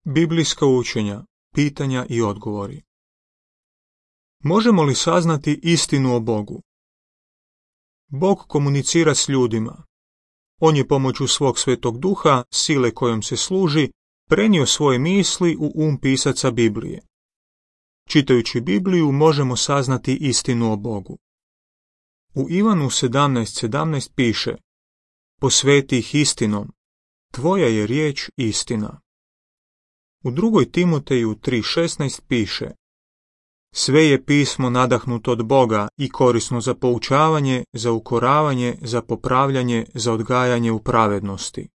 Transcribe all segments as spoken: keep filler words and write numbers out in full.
Biblijska učenja, pitanja i odgovori. Možemo li saznati istinu o Bogu? Bog komunicira s ljudima. On je pomoću svog Svetog Duha, sile kojom se služi, prenio svoje misli u um pisaca Biblije. Čitajući Bibliju možemo saznati istinu o Bogu. U Ivanu sedamnaest sedamnaest piše: Posveti ih istinom, tvoja je riječ istina. U drugoj Timoteju tri šesnaest piše: Sve je pismo nadahnuto od Boga i korisno za poučavanje, za ukoravanje, za popravljanje, za odgajanje u pravednosti.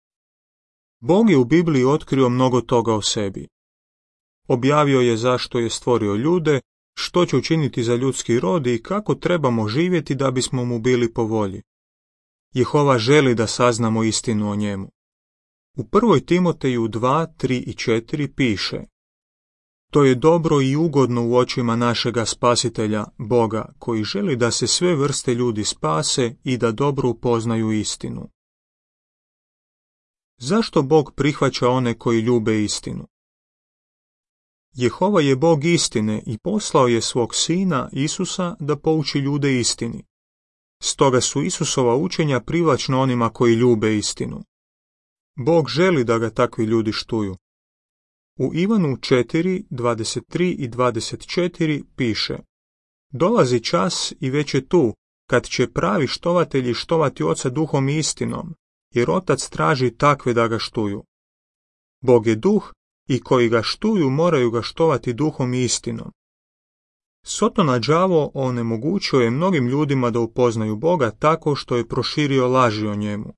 Bog je u Bibliji otkrio mnogo toga o sebi. Objavio je zašto je stvorio ljude, što će učiniti za ljudski rod i kako trebamo živjeti da bismo mu bili po volji. Jehova želi da saznamo istinu o njemu. U prvoj Timoteju dva, tri i četiri piše: To je dobro i ugodno u očima našega Spasitelja, Boga, koji želi da se sve vrste ljudi spase i da dobro upoznaju istinu. Zašto Bog prihvaća one koji ljube istinu? Jehova je Bog istine i poslao je svog Sina, Isusa, da pouči ljude istini. Stoga su Isusova učenja privlačna onima koji ljube istinu. Bog želi da ga takvi ljudi štuju. U Ivanu četiri, dvadeset tri i dvadeset četiri piše: Dolazi čas i već je tu, kad će pravi štovatelji štovati Oca duhom i istinom, jer Otac traži takve da ga štuju. Bog je duh i koji ga štuju moraju ga štovati duhom i istinom. Sotona đavo onemogućio je mnogim ljudima da upoznaju Boga tako što je proširio laži o njemu.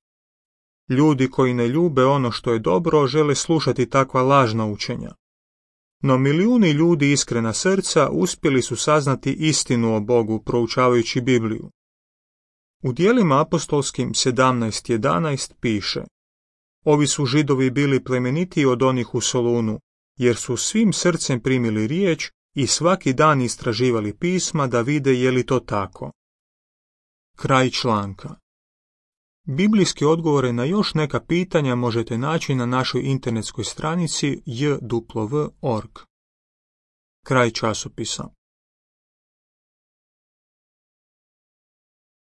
Ljudi koji ne ljube ono što je dobro žele slušati takva lažna učenja. No milijuni ljudi iskrena srca uspjeli su saznati istinu o Bogu proučavajući Bibliju. U djelima apostolskim sedamnaest jedanaest piše: Ovi su Židovi bili plemenitiji od onih u Solunu, jer su svim srcem primili riječ i svaki dan istraživali pisma da vide je li to tako. Kraj članka. Biblijske odgovore na još neka pitanja možete naći na našoj internetskoj stranici j w w tačka org. Kraj časopisa.